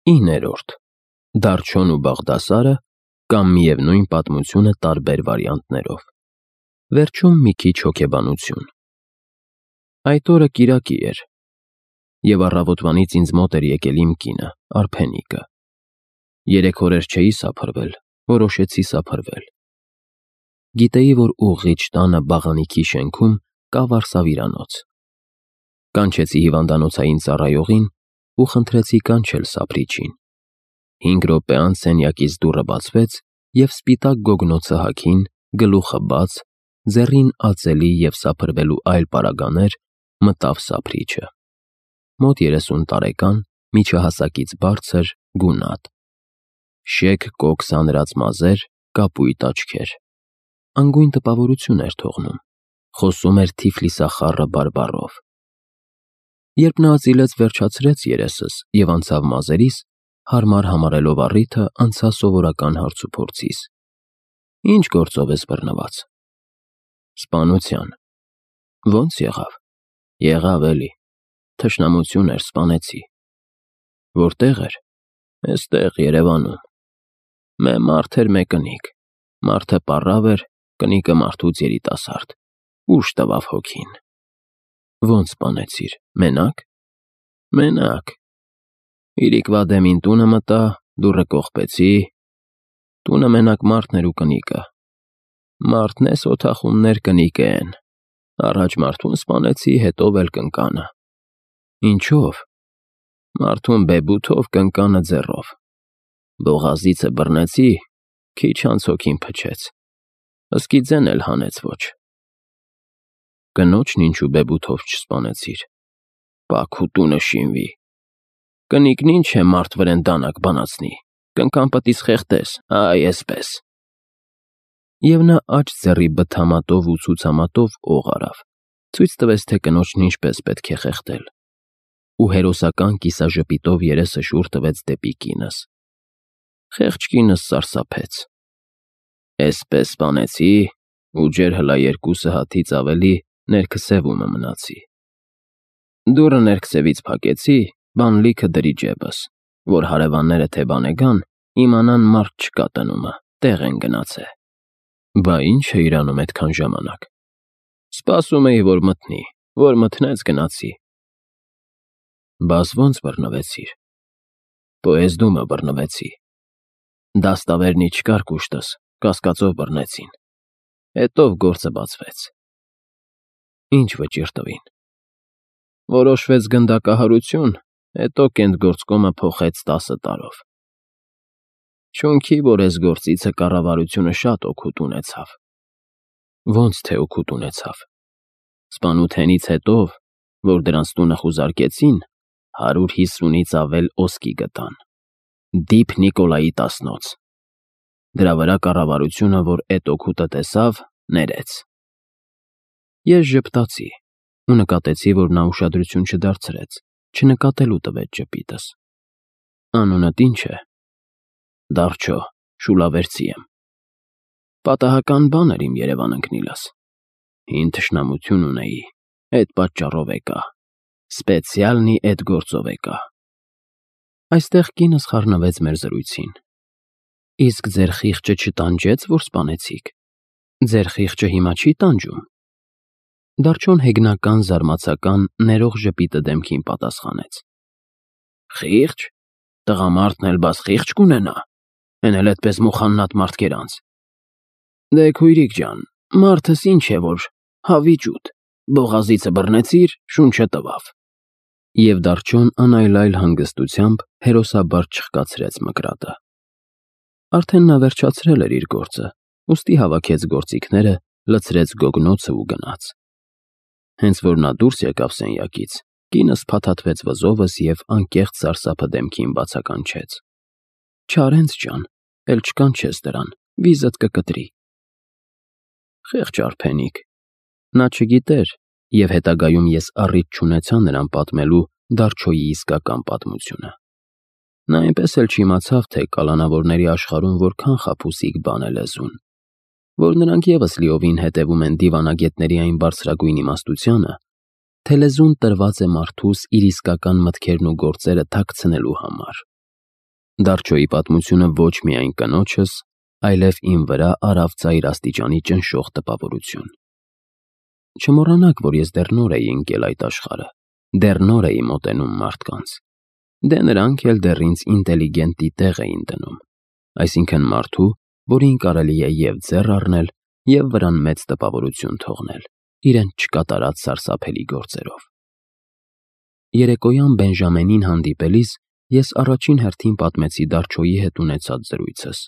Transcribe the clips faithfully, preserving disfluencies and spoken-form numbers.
Իններորդ. Դարչոն ու Բաղդասարը կամ միևնույն պատմությունը տարբեր վարիանտներով։ Վերջում մի քիչ հոգեբանություն։ Այդ օրը կիրակի էր, և առավոտվանից ինձ մոտ էր եկել իմ կինը, Արփենիկը։ Երեք օրեր չէի սափրվել, որոշեցի սափրվել։ Գիտեի, որ ուղղիչ տանը բաղանիքի շենքում կա վարսավիրանոց։ Կանչեցի հիվանդանոցային ծառայողին ու խնդրեցի կանչել սափրիչին։ Հինգ րոպե անց սենյակից դուռը բացվեց, և սպիտակ գոգնոցը հագին, գլուխը բաց, ձեռին ածելի և սափրվելու այլ պարագաներ, մտավ սափրիչը։ Մոտ երեսուն տարեկան, միջահասակից բարձր, գունատ։ Շեկ կոկ սանրած մազեր, կապույտ աչքեր։ Անգույն տպավորություն էր թողնում, խոսում էր թիֆլիսախառը բարբառով։ Երբ նա ծիլեց վերջացրեց երեսս և անցավ մազերիս, հարմար համարելով առիթը, անցա սովորական հարցուփորձիս. Ինչ գործով ես բռնված։ Սպանության։ Ո՞նց եղավ։ Եղավ էլի։ Թշնամություն էր, սպանեցի։ Որտեղ էր։ Էստեղ, Երևանում։ Մե մարդ էր, մե կնիկ։ Մարդը պառավ էր, կնիկը մարդուց երիտասարդ։ Ուժ տվավ հոգին։ Ո՞նց սպանեցիր, մենակ։ Մենակ։ Իրիկվա դեմին տունը մտա, դուռը կողպեցի։ Տունը մենակ մարդն էր ու կնիկը։ Մարդն էս օթախուններ կնիկը են։ Առաջ մարդուն սպանեցի, հետո էլ կնկանը։ Ինչո՞վ։ Մարդուն բեբութով, կնկանը ձեռով։ Բողազիցը բռնեցի, քիչ անց հոգին փչեց։ Սկիձեն էլ հանեց ոչ։ Կնոջն ինչու բեբութով չսպանեցիր։ Պաքու տունը շինվի։ Կնիկն ինչ է մարդ վրեն դանակ բանացնի, կնկան պտից խեղդես, այ էսպես։ Եվ նա աջ ձեռի բթամատով ու ցուցամատով օղ արավ, ցույց տվեց, թե կնոջն ինչպես պետք է խեղդել, ու հերոսական կիսաժպիտով երեսը շուռ տվեց դեպի կինս։ Խեղճ կինս սարսափեց։ Էսպես սպանեցի, ու ջեր հլա երկուսը հաթից ավելի ներքսևումը մնացի։ Դուռը ներքսևից փակեցի, բան լիքը դրի ջեբս, որ հարևանները թե բան գան, իմանան մարդ չկա տնումը, տեղ են գնացե։ Բա ինչ է իրանում այդքան ժամանակ։ Սպասում էի, որ մտնի, որ մտնեց գնացի։ Բաս ո՞նց բռնվեցիր։ Պոեզդումը բռնվեցի։ Դաստավերնի չկար կուշտս, կասկածով բռնեցին։ Հետով գործը բացվեց։ Ինչ վճիռ տվին։ Որոշվեց գնդակահարություն, հետո կենտգործկոմը փոխեց տասը տարով։ Չունքի, որ էս գործիցը կառավարությունը շատ օգուտ ունեցավ։ Ոնց թե օգուտ ունեցավ։ Սպանութենից հետո, որ դրանց տունը խուզարկեցին, հարյուր հիսունից ավել ոսկի գտան։ Դիփ Նիկոլայի տասնոց։ Դրա վրա կառավարությունը, որ էդ օգուտը տեսավ, ներեց։ Ես ժպտացի ու նկատեցի, որ նա ուշադրություն չդարձրեց, չնկատելու տվեց ժպիտս։ Անունդ ինչ է։ Դարչո, Շուլավերցի եմ։ Պատահական բան էր իմ Երևան ընկնիլս։ Հին թշնամություն ունեի, էդ պատճառով եկա։ Սպեցիալնի էդ գործով եկա։ Այստեղ կինս խառնվեց մեր զրույցին։ Իսկ ձեր խիղճը չտանջեց, որ սպանեցիք։ Ձեր խիղճը հիմա չի տանջում։ Դարչոն հեգնական, զարմացական, ներող ժպիտը դեմքին պատասխանեց։ Խիղճ։ Տղամարդն էլ բաս խիղճ կունենա։ Էն էլ էդպես մուխաննատ մարդկերանց։ Դե քույրիկ ջան, մարդս ինչ է որ, հավիճուտ, բողազիցը բռնեցիր, շունչը տվավ։ Եվ Դարչոն անայլայլ հանգստությամբ հերոսաբար չխկացրեց մկրատը։ Արդեն նա վերջացրել էր իր գործը, ուստի հավաքեց գործիքները, լցրեց գոգնոցը ու գնաց։ Հենց որ նա դուրս եկավ սենյակից, կինս փաթաթվեց վզովս և անկեղծ սարսափը դեմքին բացականչեց. Չարենց ջան, էլ չկանչես դրան, վիզդ կկտրի։ Խեղճ Արփենիկ։ Նա չգիտեր, և հետագայում ես առիթ չունեցա նրան պատմելու Դարչոյի իսկական պատմությունը։ Նա այնպես էլ չիմացավ, թե կալանավորների աշխարհում որքան խաբուսիկ բան է լեզուն, որ նրանք ևս լիովին հետևում են դիվանագետների այն բարձրագույն իմաստությանը, թե լեզուն տրված է մարդուս իր իսկական մտքերն ու գործերը թաքցնելու համար։ Դարչոյի պատմությունը ոչ միայն կնոջս, այլև իմ վրա արավ ծայր աստիճանի ճնշող տպավորություն։ Չմոռանաք, որ ես դեռ նոր էի ընկել այդ աշխարհը, դեռ նոր էի մոտենում մարդկանց։ Դե նրանք էլ դեռ ինձ ինտելիգենտի տեղ էին դնում, այսինքն մարդու, որին կարելի է և ձեռ առնել, և վրան մեծ տպավորություն թողնել, իրեն չկատարած սարսափելի գործերով։ Երեկոյան Բենժամենին հանդիպելիս ես առաջին հերթին պատմեցի Դարչոյի հետ ունեցած զրույցս։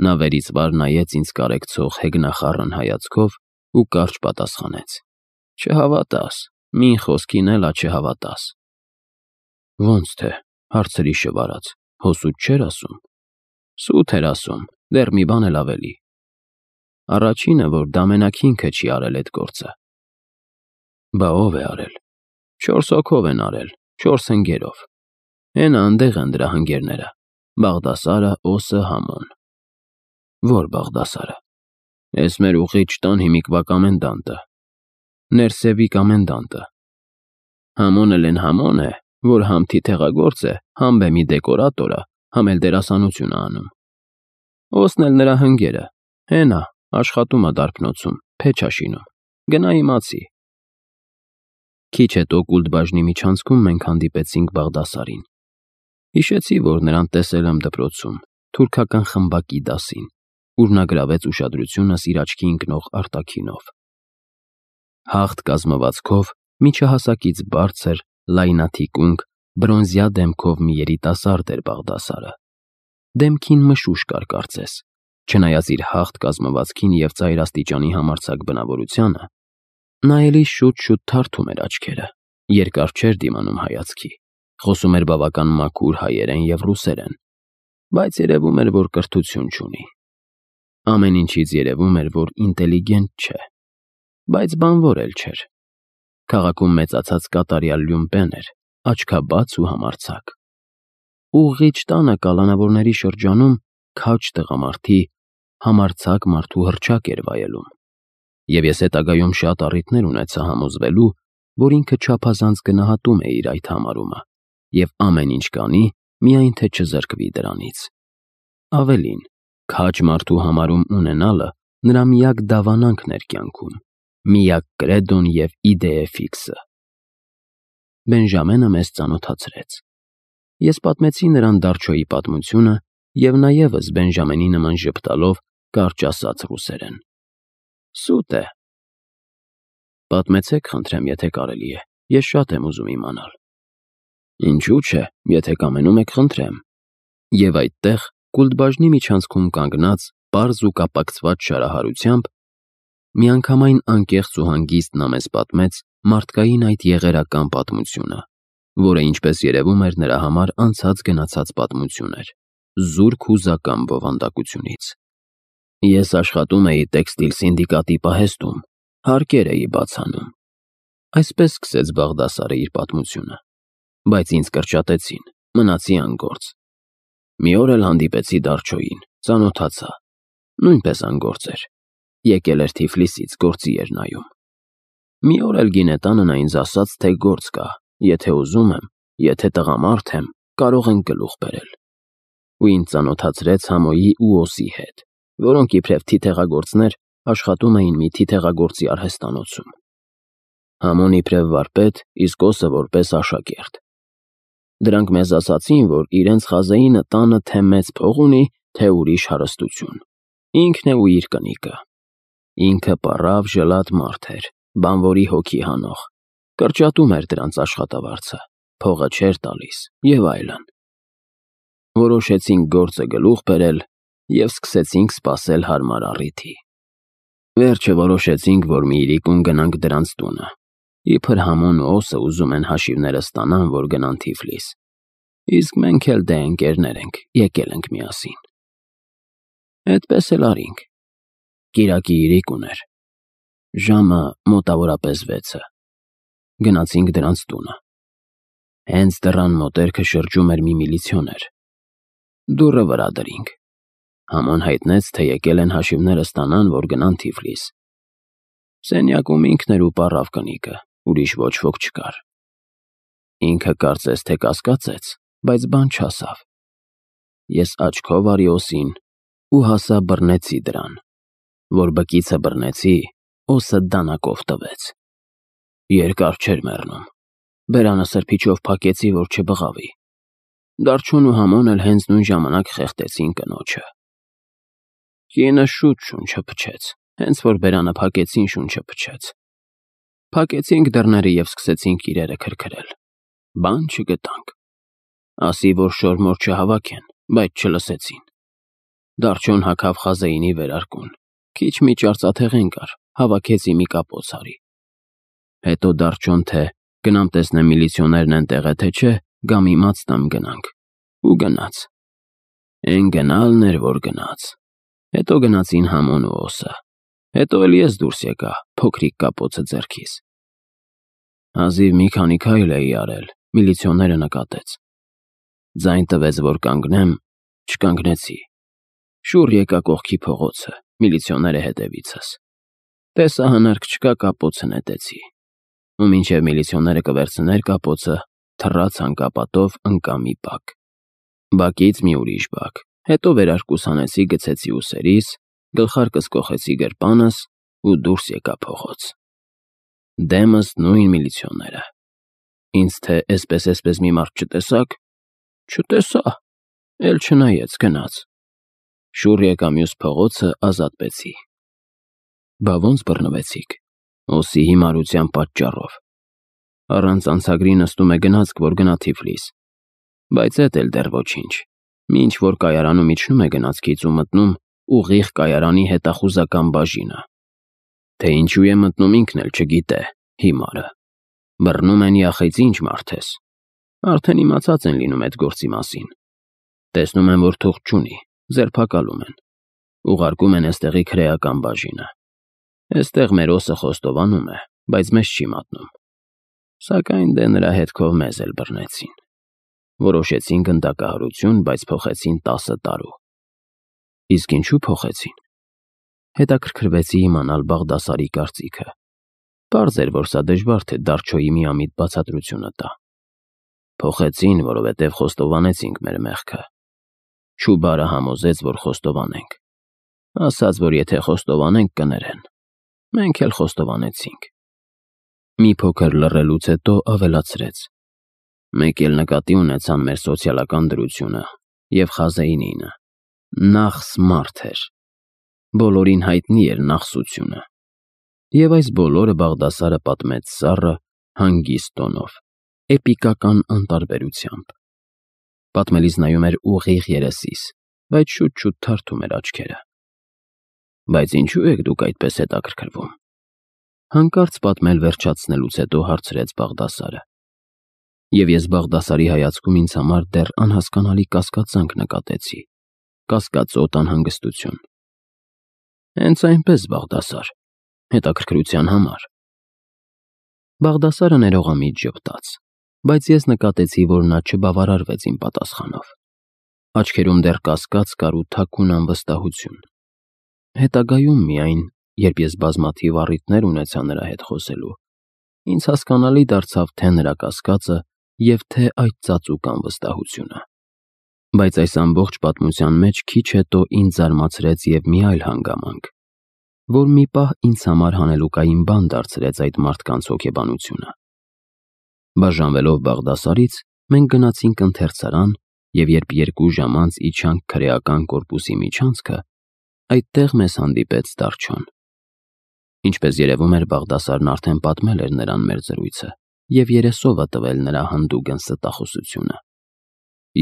Նա վերից վար նայեց ինձ կարեկցող հեգնախառն հայացքով ու կարճ պատասխանեց. «Չհավատաս, մին խոսքին էլա չհավատաս»։ Ոնց թե, հարցրի շվարած, հո սուտ չէր ասում։ Սուտ էր ասում, դեռ մի բան էլ ավելի։ Առաջինը, որ դամենակինքը չի արել այդ գործը։ Բա ով է արել։ Չորս հոգով են արել, չորս ընկերով։ Հենա անդեղ են դրա հնգերները, Բաղդասարը, Օսը, Համոն։ Ո՞ր Բաղդասարը։ Էս մեր ուղիղ տան հիմիկվա կոմենդանտը, Ներսևի կոմենդանտը։ Համոն էլ էն Համոն է, որ համ թիթեղագործ է, համ բեմի դեկորատոր ա, համ էլ դերասանություն ա անում։ Օսն էլ նրա հնգերը, հենա, աշխատում ա դարբնոցում, փեչ ա շինում, գնա իմացի։ Քիչ հետո Կուլդբաժնի միջանցքում մենք հանդիպեցինք Բաղդասարին։ Հիշեցի, որ նրան տեսել եմ դպրոցում, թուրքական խմբակի դասին, ուր նա գրավեց ուշադրությունս իր աչքի ընկնող արտաքինով։ Հաղթ կազմվածքով, միջահասակից բարձր, լայնաթիկունք, բրոնզյա դեմքով մի երիտասարդ էր Բաղդասարը։ Դեմքին մշուշ կար կարծես, չնայած իր հաղթ կազմվածքին և ծայր աստիճանի համարձակ բնավորությանը, նա էլի շուտ-շուտ թարթում էր աչքերը, երկար չէր դիմանում հայացքի, խոսում էր բավական մաքուր հայերեն և ռուսերեն, բայց երևում էր, որ կրթություն չունի։ Ամեն ինչից երևում էր, որ ինտելիգենտ չէ, բայց բանվոր էլ չէր։ Քաղաքում մեծացած կատարյալ լյումպեն էր, աչքաբաց ու համարձակ։ Ուղղիչ տանը կալանավորների շրջանում քաջ տղամարդի, համարձակ մարդու հռչակ էր վայելում, և ես հետագայում շատ առիթներ ունեցա համոզվելու, որ ինքը չափազանց գնահատում է իր այդ համարումը և ամեն ինչ կանի, միայն թե չզրկվի դրանից։ Ավելին, քաջ մարդու համարում ունենալը նրա միակ դավանանքն էր կյանքում, միակ կրեդոն և իդեե ֆիքսը։ Բենժամենը մեզ ծանոթացրեց։ Ես պատմեցի նրան Դարչոյի պատմությունը, և նա ևս Բենժամենի նման ժպտալով կարճ ասաց ռուսերեն. Սուտ է։ Պատմեցեք, խնդրեմ, եթե կարելի է, ես շատ եմ ուզում իմանալ։ Ինչու՞ չէ, եթե կամենում եք, խնդրեմ։ Եվ այդտեղ, Կուլդբաժնի միջանցքում կանգնած, պարզ ու կապակցված շարահարությամբ, միանգամայն անկեղծ ու հանգիստ նա մեզ պատմեց մարդկային այդ եղերական պատմությունը, որը, ինչպես երևում էր, նրա համար անցած գնացած պատմություն էր, զուրկ հուզական բովանդակությունից։ Ես աշխատում էի տեքստիլ սինդիկատի պահեստում, հարկեր էի բացանում։ Այսպես սկսեց Բաղդասարը իր պատմությունը, բայց ինձ կրճատեցին, մնացի անգործ։ Մի օր էլ հանդիպեցի Դարչոյին, ծանոթացա, նույնպես անգործ էր, եկել էր Թիֆլիսից, գործի էր նայում։ Մի օր էլ գինետանը նա ինձ ասաց, թե գործ կա, եթե ուզում եմ, եթե տղամարդ եմ, կարող ենք գլուխ բերել։ Ու ինձ ծանոթացրեց Համոյի ու Օսի հետ, որոնք իբրև թիթեղագործներ աշխատում էին մի թիթեղագործի արհեստանոցում։ Համոն իբրև վարպետ, իսկ Օսը որպես աշակերտ։ Դրանք մեզ ասացին, որ իրենց խազեինը տանը թե մեծ փող ունի, թե ուրիշ հարստություն։ Ինքն է ու իր կնիկը։ Ինքը պառավ ժլատ մարդ էր, բանվորի հոգի հանող, կրճատում էր դրանց աշխատավարձը, փողը չէր տալիս և այլն։ Որոշեցինք գործը գլուխ բերել և սկսեցինք սպասել հարմար առիթի։ Վերջը որոշեցինք, որ մի իրիկուն գնանք դրանց տունը, իբր Համոն ու Օսը ուզում են հաշիվները ստանան, որ գնան Թիֆլիս, իսկ մենք էլ դե ընկերներ ենք, եկել ենք միասին։ Էդպես էլ արինք։ Կիրակի իրիկուն էր, ժամը մոտավորապես վեցը։ Գնացինք դրանց տունը։ Հենց դռան մոտերքը շրջում էր մի միլիցիոներ։ Դուռը վրա դրինք։ Համոն հայտնեց, թե եկել են հաշիվները ստանան, որ գնան Թիֆլիս։ Սենյակում ինքն էր ու պառավ կնիկը, ուրիշ ոչ ոք չկար։ Ինքը կարծես թե կասկածեց, բայց բան չասավ։ Ես աչքով արի օսին ու հասա բռնեցի դրան, որ բկիցը բռնեցի, օսը դանակով տվեց։ Երկար չէր մեռնում, բերանը սրբիչով փակեցի, որ չբղավի։ Դարչոն ու Համոն էլ հենց նույն ժամանակ խեղդեցին կնոջը։ Կինը շուտ շունչը փչեց, հենց որ բերանը փակեցին, շունչը փչեց։ Փակեցինք դռները և սկսեցինք իրերը քրքրել։ Բան չգտանք։ Ասի, որ շորմոր չհավաքեն, բայց չլսեցին։ Դարչոն հագավ Խազեինի վերարկուն, քիչ մի արծաթեղեն կար, հավաքեցի մի կապոց արի։ Հետո Դարչոն թե գնամ տեսնեմ միլիցիոներն են տեղ է թե չէ, գամ իմաց տամ գնանք։ Ու գնաց։ Էն գնալն էր, որ գնաց։ Հետո գնացին Համոն ու օսը։ Հետո էլ ես դուրս եկա, փոքրիկ կապոցը ձեռքիս։ Հազիվ մի քանի քայլ էի արել, միլիցիոները նկատեց։ Ձայն տվեց, որ կանգնեմ, չկանգնեցի։ Շուռ եկա կողքի փողոցը, միլիցիոները հետևիցս։ Տեսա հնարք չկա, կապոցը նետեցի։ Ու մինչև միլիցիոները կվերցներ կապոցը, թռա ցանկապատով ընկա մի բակ։ Բակից մի ուրիշ բակ։ Հետո վերարկուս հանեցի, գցեցի ուսերիս, գլխարկս կոխեցի գրպանս ու դուրս եկա փողոց։ Դեմս նույն միլիցիոները։ Ինձ թե էսպես-էսպես մի մարդ չտեսաք։ Չտեսա, էլ չնայեց, գնաց։ Շուռ եկա մյուս փողոցը, ազատվեցի։ Բա ոնց բռնվեցիք։ Օսի հիմարության պատճառով։ Առանց անցագրի նստում է գնացք, որ գնա Թիֆլիս։ Բայց էդ էլ դեռ ոչինչ։ Մինչ որ կայարանում իջնում է գնացքից ու մտնում ուղիղ կայարանի հետախուզական բաժինը։ Թե ինչու է մտնում ինքն էլ չգիտե, հիմարը։ Բռնում են յախից ինչ մարդ ես։ Արդեն իմացած են լինում այդ գործի մասին։ Տեսնում են, որ թուղթ չունի, ձերբակալում են։ Ուղարկում են էստեղի քրեական բաժինը։ Էստեղ մեր օսը խոստովանում է, բայց մեզ չի մատնում։ Սակայն դե նրա հետքով մեզ էլ բռնեցին։ Որոշեցին գնդակահարություն, բայց փոխեցին տասը տարու։ Իսկ ինչու փոխեցին։ Հետաքրքրվեցի իմանալ Բաղդասարի կարծիքը։ Պարզ էր, որ սա դժվար թե Դարչոյի միամիտ բացատրությունը տա։ Փոխեցին, որովհետև խոստովանեցինք մեր մեղքը։ Չուբարը համոզեց, որ խոստովանենք։ Ասաց, որ եթե խոստովանենք, կներեն։ Մենք էլ խոստովանեցինք։ Մի փոքր լռելուց հետո ավելացրեց. Մեկ էլ նկատի ունեցան մեր սոցիալական դրությունը և Խազեինինը։ Նախս մարդ էր։ Բոլորին հայտնի էր նախսությունը։ Եվ այս բոլորը Բաղդասարը պատմեց սառը, հանգիստ տոնով, էպիկական անտարբերությամբ։ Պատմելիս նայում էր ուղիղ երեսիս, բայց շուտ-շուտ թարթում էր աչքերը։ Բայց ինչու եք դուք այդպես հետաքրքրվում։ Հանկարծ պատմել վերջացնելուց հետո հարցրեց Բաղդասարը։ Եվ ես Բաղդասարի հայացքում ինձ համար դեռ անհասկանալի կասկածանք նկատեցի, կասկածոտ անհանգստություն։ Հենց այնպես, Բաղդասար, հետաքրքրության համար։ Բաղդասարը ներողամիտ ժպտաց, բայց ես նկատեցի, որ նա չբավարարվեց իմ պատասխանով։ Աչքերում դեռ կասկած կար ու թաքուն անվստահություն։ Հետագայում միայն, երբ ես բազմաթիվ առիթներ ունեցա նրա հետ խոսելու, ինձ հասկանալի դարձավ թե նրա կասկածը և թե այդ ծածուկ անվստահությունը։ Բայց այս ամբողջ պատմության մեջ քիչ հետո ինձ զարմացրեց և մի այլ հանգամանք, որ մի պահ ինձ համար հանելուկային բան դարձրեց այդ մարդկանց հոգեբանությունը։ Բաժանվելով Բաղդասարից, մենք գնացինք ընթերցարան, և երբ երկու ժամ անց իջանք քրեական կորպուսի միջանցքը, այդտեղ մեզ հանդիպեց Դարչոն։ Ինչպես երևում էր, Բաղդասարն արդեն պատմել էր նրան մեր զրույցը և երեսովը տվել նրա հանդուգն ստախոսությունը։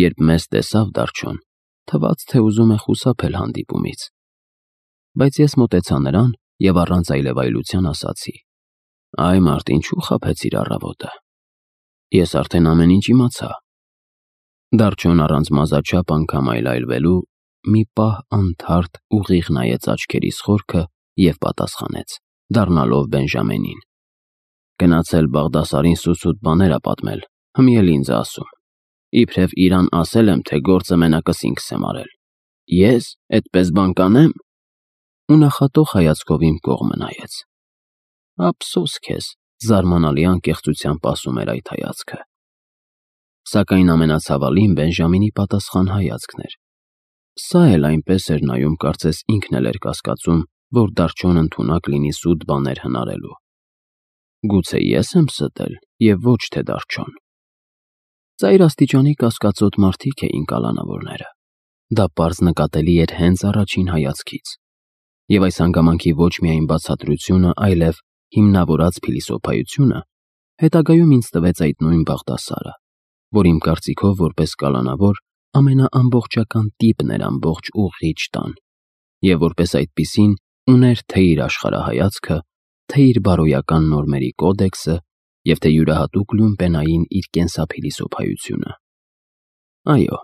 Երբ մեզ տեսավ Դարչոն, թվաց, թե ուզում է խուսափել հանդիպումից։ Բայց ես մոտեցա նրան և առանց այլևայլության ասացի. Այ մարդ, ինչու խաբեցիր առավոտը։ Ես արդեն ամեն ինչ իմացա։ Դարչոն առանց մազաչափ անգամ այլայլվելու մի պահ անթարթ ուղիղ նայեց աչքերիս խորքը և պատասխանեց, դառնալով Բենժամենին. Գնացել Բաղդասարին սուսուտ բաներ ա պատմել, հմի էլ ինձ ա ասում։ Իբրև իրան ասել եմ, թե գործը մենակս ինքս եմ արել։ Ես էդպես բան կանեմ։ Ու նախատող հայացքով իմ կողմը նայեց։ Ափսոս քեզ, զարմանալի անկեղծությամբ ասում էր այդ հայացքը։ Սակայն ամենացավալին Բենժամինի պատասխան հայացքն էր, Սա էլ այնպես էր նայում, կարծես ինքն էլ էր կասկածում, որ դարչոն ընդունակ լինի սուտ բաներ հնարելու։ Գուցե ես եմ ստել և ոչ թե դարչոն։ Ծայր աստիճանի կասկածոտ մարդիկ էին կալանավորները։ Դա պարզ նկատելի էր հենց առաջին հայացքից։ Եվ այս հանգամանքի ոչ միայն բացատրությունը, այլև հիմնավորած փիլիսոփայությունը հետագայում ինձ տվեց այդ նույն Բաղդասարը, որ իմ կարծիքով որպես կալանավոր ամենաամբողջական տիպն էր ամբողջ ուղղիչ տան, և որպես այդպիսին ուներ թե՛ իր աշխարհայացքը, թե՛ իր բարոյական նորմերի կոդեքսը և թե յուրահատուկ լյումպենային իր կենսափիլիսոփայությունը։ Այո,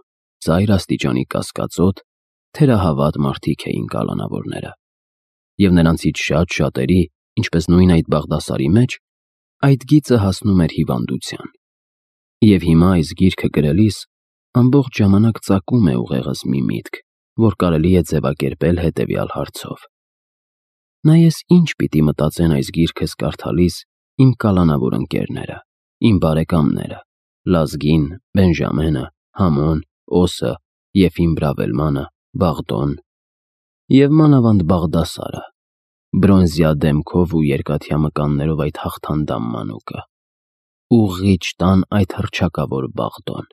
ծայր աստիճանի կասկածոտ, թերահավատ մարդիկ էին կալանավորները, և նրանցից շատ֊շատերի, ինչպես նույն այդ Բաղդասարի մեջ, այդ գիծը հասնում էր հիվանդության։ Եվ հիմա այս գիրքը գրելիս ամբողջ ժամանակ ծակում է ուղեղս մի միտք, որ կարելի է ձևակերպել հետևյալ հարցով. «Նայես ինչ պիտի մտածեն այս գիրքս կարդալիս իմ կալանավոր ընկերները, իմ բարեկամները՝ Լազգին, Բենժամենը, Համոն, Օսը, Եֆիմ Բրավելմանը, Բաղդոն և մանավանդ Բաղդասարը, բրոնզյա դեմքով ու երկաթյա մկաններով այդ հաղթանդամ մանուկը, ուղղիչ տան այդ հռչակավոր Բաղդոն»։